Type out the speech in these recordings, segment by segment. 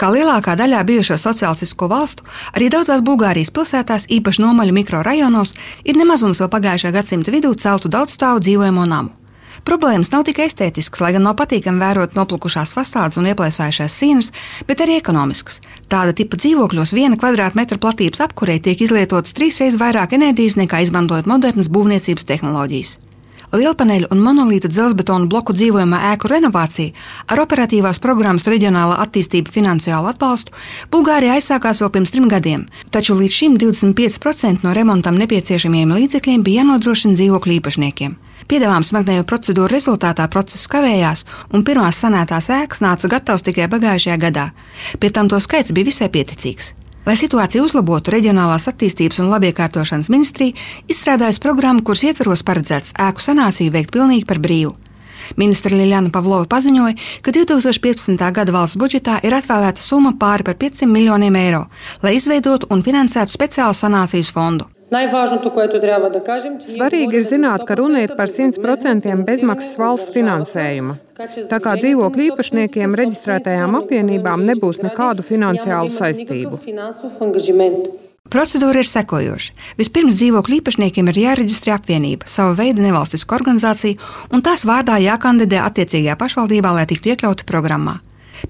Kā lielākā daļā bijušo sociālistisko valstu, arī daudzās Bulgārijas pilsētās, īpaši nomaļu mikrorajonos, ir nemazums vēl pagājušā gadsimta vidū celtu daudzstāvu dzīvojamo namu. Problēmas nav tikai estētiskas, lai gan nav patīkami vērot noplukušās fasādes un ieplēsājušās sienas, bet arī ekonomiskas. Tāda tipa dzīvokļos 1 kvadrātmetra platības apkurei tiek izlietotas 3 reizes vairāk enerģijas nekā izmantojot modernas būvniecības tehnoloģijas. Lielpaneļu un monolīta dzelzbetonu bloku dzīvojamā ēku renovācija ar operatīvās programmas reģionālā attīstība finansiālu atbalstu Bulgārijā aizsākās vēl pirms 3 gadiem, taču līdz šim 25% no remontam nepieciešamiem līdzekļiem bija jānodrošina dzīvokļu īpašniekiem. Piedāvām smagnējo procedūru rezultātā process kavējās, un pirmās sanētās ēkas nāca gatavas tikai pagājušajā gadā. Pie tam to skaits bija visai pieticīgs. Lai situāciju uzlabotu, Reģionālās attīstības un labiekārtošanas ministrija izstrādājusi programmu, kuras ietvaros paredzēts ēku sanāciju veikt pilnīgi par brīvu. Ministre Liljana Pavlova paziņoja, ka 2015. gada valsts budžetā ir atvēlēta summa pāri par 500 miljoniem eiro, lai izveidotu un finansētu speciālu sanācijas fondu. Svarīgi ir zināt, ka runa ir par 100% bezmaksas valsts finansējuma. Tā kā dzīvokļu īpašniekiem reģistrētajām apvienībām nebūs nekādu finansiālu saistību. Procedūra ir sekojoša. Vispirms dzīvokļu īpašniekiem ir jāreģistrē apvienība, sava veida nevalstiska organizācija, un tās vārdā jākandidē attiecīgajā pašvaldībā, lai tiktu iekļauti programmā.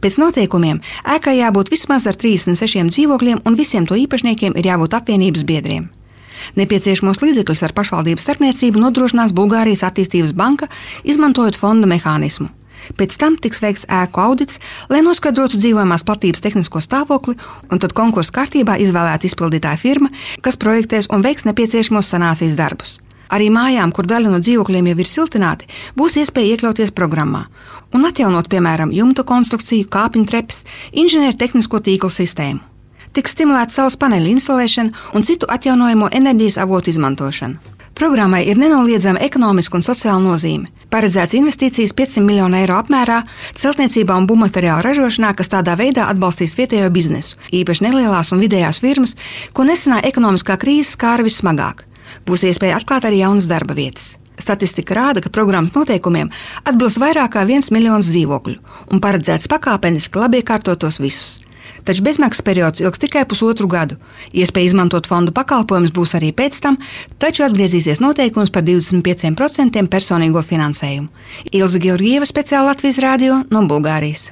Pēc noteikumiem ēkai jābūt vismaz ar 36 dzīvokļiem, un visiem to īpašniekiem ir jābūt apvienības biedriem. Nepieciešamos līdzekļus ar pašvaldības starpniecību nodrošinās Bulgārijas attīstības banka, izmantojot fonda mehānismu. Pēc tam tiks veikts ēku audits, lai noskaidrotu dzīvojamās platības tehnisko stāvokli, un tad konkursa kārtībā izvēlēta izpildītāja firma, kas projektēs un veiks nepieciešamos sanācijas darbus. Arī mājām, kur daļa no dzīvokļiem jau ir siltināti, būs iespēja iekļauties programmā un atjaunot, piemēram, jumta konstrukciju, kāpņu trepas, inženieru tehnisko tīklu sistēmu. Tiks stimulēta saules paneļu instalēšana un citu atjaunojamo enerģijas avotu izmantošana. Programmai ir nenoliedzama ekonomiska un sociāla nozīme. Paredzēts investīcijas 500 miljonu eiro apmērā celtniecībā un būvmateriālu ražošanā, kas tādā veidā atbalstīs vietējo biznesu, īpaši nelielās un vidējās firmas, ko nesenā ekonomiskā krīze skāra vissmagāk. Būs iespēja atklāt arī jaunas darba vietas. Statistika rāda, ka programmas noteikumiem atbilst vairāk kā 1 miljons dzīvokļu un paredzēts pakāpeniski labiekārtotos visus. Taču bezmaksas periods ilgs tikai 1,5 gadu. Iespēja izmantot fondu pakalpojumus būs arī pēc tam, taču atgriezīsies noteikums par 25% personīgo finansējumu. Ilze Georgieva, speciāli Latvijas radio no Bulgārijas.